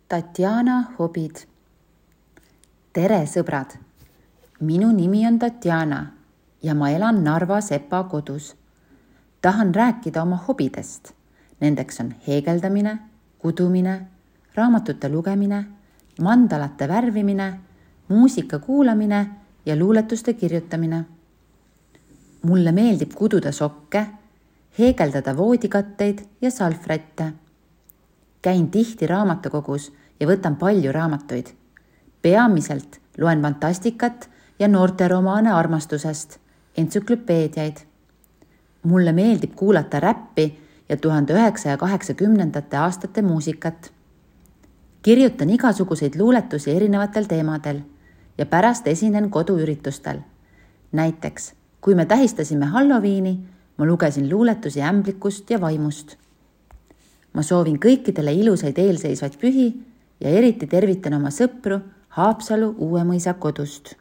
Tatjana hobid. Tere sõbrad! Minu nimi on Tatjana ja ma elan Narva Sepa kodus. Tahan rääkida oma hobidest. Nendeks on heegeldamine, kudumine, raamatute lugemine, mandalate värvimine, muusika kuulamine ja luuletuste kirjutamine. Mulle meeldib kududa sokke, heegeldada voodikatteid ja salvrätte. Käin tihti raamatukogus ja võtan palju raamatuid. Peamiselt loen fantastikat ja noorteromaane armastusest, entsüklopeediaid. Mulle meeldib kuulata räppi ja 1980. aastate muusikat. Kirjutan igasuguseid luuletusi erinevatel teemadel ja pärast esinen koduüritustel. Näiteks, kui me tähistasime Halloweeni, ma lugesin luuletusi ämblikust ja vaimust. Ma soovin kõikidele ilusaid eelseisvaid pühi ja eriti tervitan oma sõpru Haapsalu Uuemõisa kodust.